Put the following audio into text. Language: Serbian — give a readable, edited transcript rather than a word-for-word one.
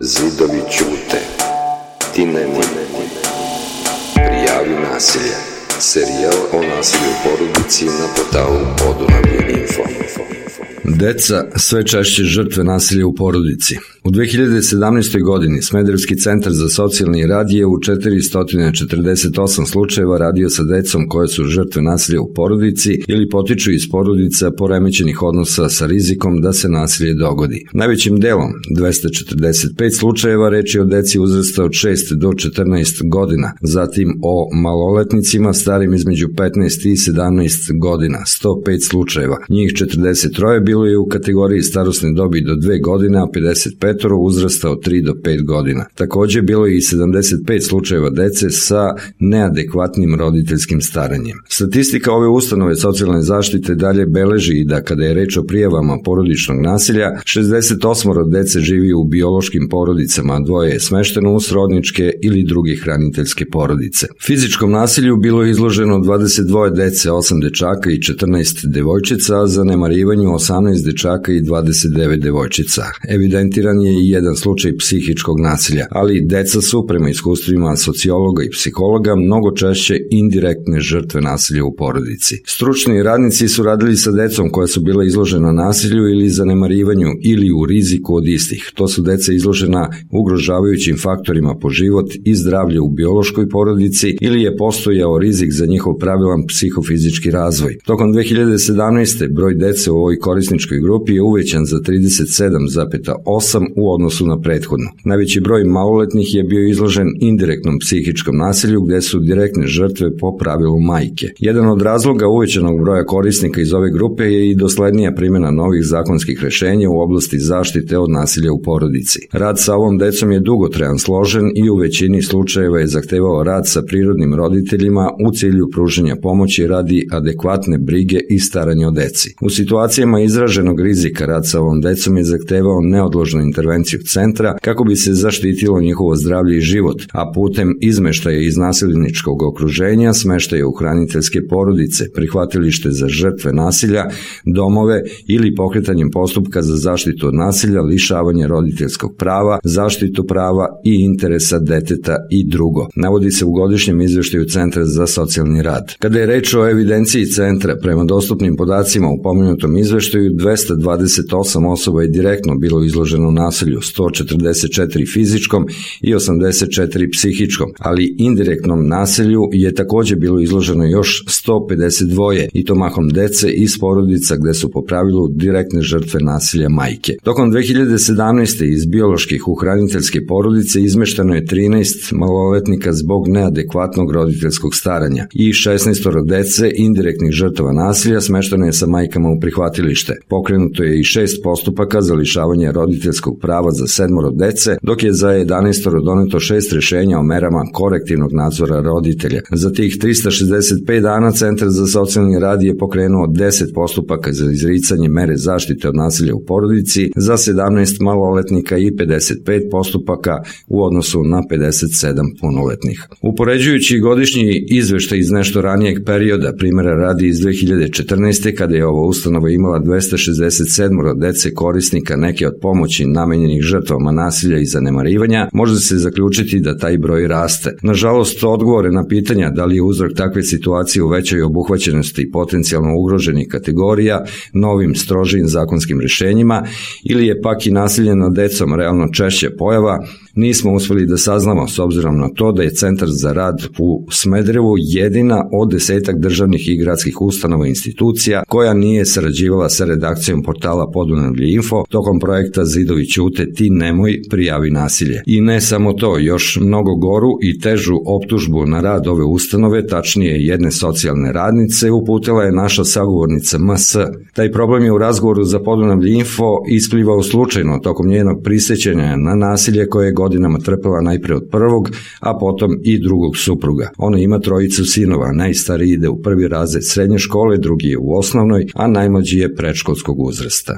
Zidovi ćute, ti nemoj, prijavi nasilje. Serijal o nasilju u porodici na portalu Podunavlje.info. Deca sve češće žrtve nasilja u porodici. U 2017. godini Smederevski centar za socijalni rad je u 448 slučajeva radio sa decom koje su žrtve nasilja u porodici ili potiču iz porodica poremećenih odnosa sa rizikom da se nasilje dogodi. Najvećim delom, 245 slučajeva, reč je o deci uzrasta od 6 do 14 godina, zatim o maloletnicima starim između 15 i 17 godina, 105 slučajeva. Njih 43 bilo je u kategoriji starosne dobi do 2 godine, a 55 uzrasta od 3 do 5 godina. Također bilo je i 75 slučajeva dece sa neadekvatnim roditeljskim staranjem. Statistika ove ustanove socijalne zaštite dalje beleži i da kada je reč o prijavama porodičnog nasilja, 68 dece živi u biološkim porodicama, a 2 je smešteno u srodničke ili druge hraniteljske porodice. Fizičkom nasilju bilo je izloženo 22 dece, 8 dečaka i 14 devojčica, a zanemarivanju 18 dečaka i 29 devojčica. Evidentiran je i jedan slučaj psihičkog nasilja, ali deca su, prema iskustvima sociologa i psihologa, mnogo češće indirektne žrtve nasilja u porodici. Stručni radnici su radili sa decom koja su bila izložena nasilju ili zanemarivanju ili u riziku od istih. To su deca izložena ugrožavajućim faktorima po život i zdravlje u biološkoj porodici ili je postojao rizik za njihov pravilan psihofizički razvoj. Tokom 2017. broj dece u ovoj korisničkoj grupi je uvećan za 37,8 u odnosu na prethodnu. Najveći broj maloletnih je bio izložen indirektnom psihičkom nasilju gde su direktne žrtve po pravilu majke. Jedan od razloga uvećanog broja korisnika iz ove grupe je i doslednija primjena novih zakonskih rešenja u oblasti zaštite od nasilja u porodici. Rad sa ovom decom je dugotrajan, složen i u većini slučajeva je zahtevao rad sa prirodnim roditeljima u cilju pružanja pomoći radi adekvatne brige i staranja o deci. U situacijama izraženog rizika rad sa ovom decom je zahtevao neodložnu intervenciju centra kako bi se zaštitilo njihovo zdravlje i život, a putem izmeštaja iz nasilničkog okruženja, smeštaja u hraniteljske porodice, prihvatilište za žrtve nasilja, domove ili pokretanjem postupka za zaštitu od nasilja, lišavanje roditeljskog prava, zaštitu prava i interesa deteta i drugo. Navodi se u godišnjem izveštaju Centra za socijalni rad. Kada je reč o evidenciji centra, prema dostupnim podacima u pomenutom izveštaju, 228 osoba je direktno bilo izloženo nasilju, 144 fizičkom i 84 psihičkom, ali indirektnom nasilju je također bilo izloženo još 152 i to mahom dece iz porodica gde su po pravilu direktne žrtve nasilja majke. Tokom 2017. iz bioloških u hraniteljske porodice izmešteno je 13 maloletnika zbog neadekvatnog roditeljskog staranja i 16 dece indirektnih žrtava nasilja smešteno je sa majkama u prihvatilište. Pokrenuto je i 6 postupaka za lišavanje roditeljskog prava za 7 dece, dok je za 11 doneto 6 rešenja o merama korektivnog nadzora roditelja. Za tih 365 dana Centar za socijalni rad je pokrenuo 10 postupaka za izricanje mere zaštite od nasilja u porodici za 17 maloletnika i 55 postupaka u odnosu na 57 punoletnih. Upoređujući godišnji izveštaj iz nešto ranijeg perioda, primjera radi iz 2014. kada je ova ustanova imala 267 dece korisnika neke od pomoći namenjenih žrtvama nasilja i zanemarivanja, može se zaključiti da taj broj raste. Nažalost, odgovore na pitanja da li je uzrok takve situacije u većoj obuhvaćenosti potencijalno ugroženih kategorija novim strožijim zakonskim rešenjima ili je pak i nasilje nad decom realno češće pojava, nismo uspeli da saznamo s obzirom na to da je Centar za rad u Smederevu jedina od 10 državnih i gradskih ustanova i institucija koja nije sarađivala sa redakcijom portala Podunavlje.info tokom projekta Zidovi ćute, ti nemoj, prijavi nasilje. I ne samo to, još mnogo goru i težu optužbu na rad ove ustanove, tačnije jedne socijalne radnice, uputila je naša sagovornica MS. Taj problem je u razgovoru za Podunavlje.info isplivao slučajno tokom njenog prisjećanja na nasilje koje je godinama trpela najpre od prvog, a potom i drugog supruga. Ona ima 3 sinova, najstariji ide u 1. razred srednje škole, drugi je u osnovnoj, a najmlađi je predškolskog uzrasta.